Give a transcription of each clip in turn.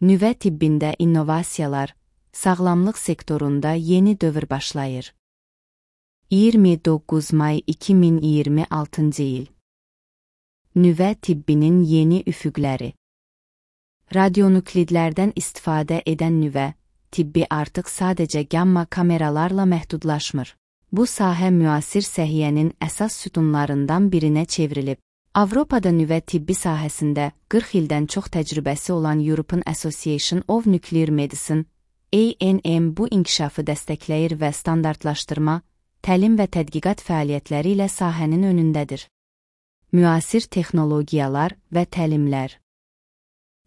Nüvə tibbində innovasiyalar, sağlamlıq sektorunda yeni dövr başlayır. 29 may 2026 il. Nüvə tibbinin yeni üfüqləri. Radionuklidlərdən istifadə edən nüvə tibbi artıq sadəcə gamma kameralarla məhdudlaşmır. Bu sahə müasir səhiyyənin əsas sütunlarından birinə çevrilib. Avropada nüvə tibbi sahəsində 40 ildən çox təcrübəsi olan European Association of Nuclear Medicine, ANM bu inkişafı dəstəkləyir və standartlaşdırma, təlim və tədqiqat fəaliyyətləri ilə sahənin önündədir. Müasir texnologiyalar və təlimlər.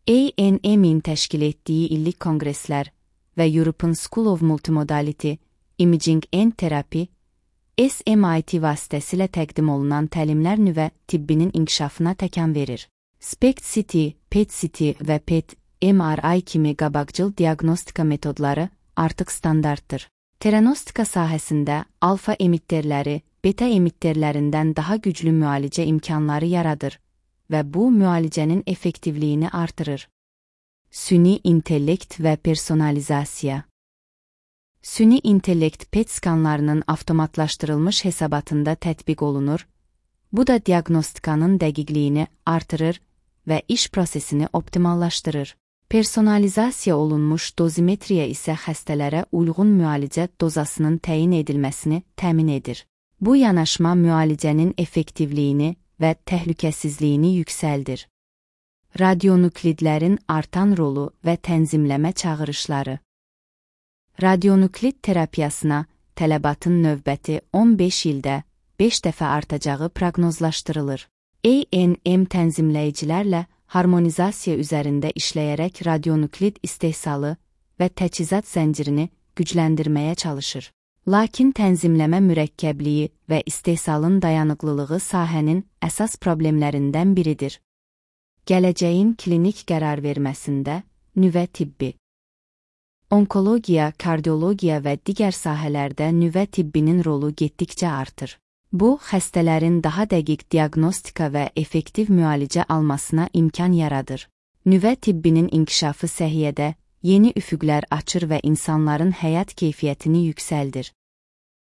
ANM-in təşkil etdiyi illik konqreslər və European School of Multimodality, Imaging and Therapy, SMIT vasitəsilə təqdim olunan təlimlər nüvə tibbinin inkişafına təkan verir. SPECT-CT, PET-CT və PET-MRI kimi qabaqcıl diaqnostika metodları artıq standartdır. Teranostika sahəsində alfa emitterləri beta emitterlərindən daha güclü müalicə imkanları yaradır və bu müalicənin effektivliyini artırır. Süni intellekt və personalizasiya. Süni intellekt PET skanlarının avtomatlaşdırılmış hesabatında tətbiq olunur, bu da diaqnostikanın dəqiqliyini artırır və iş prosesini optimallaşdırır. Personalizasiya olunmuş dozimetriya isə xəstələrə uyğun müalicə dozasının təyin edilməsini təmin edir. Bu yanaşma müalicənin effektivliyini və təhlükəsizliyini yüksəldir. Radionuklidlərin artan rolu və tənzimləmə çağırışları. Radionuklid terapiyasına tələbatın növbəti 15 ildə 5 dəfə artacağı proqnozlaşdırılır. ANM tənzimləyicilərlə harmonizasiya üzərində işləyərək radionuklid istehsalı və təchizat zəncirini gücləndirməyə çalışır. Lakin tənzimləmə mürəkkəbliyi və istehsalın dayanıqlılığı sahənin əsas problemlərindən biridir. Gələcəyin klinik qərar verməsində nüvə tibbi. Onkologiya, kardiologiya və digər sahələrdə nüvə tibbinin rolu getdikcə artır. Bu, xəstələrin daha dəqiq diaqnostika və effektiv müalicə almasına imkan yaradır. Nüvə tibbinin inkişafı səhiyyədə yeni üfüqlər açır və insanların həyat keyfiyyətini yüksəldir.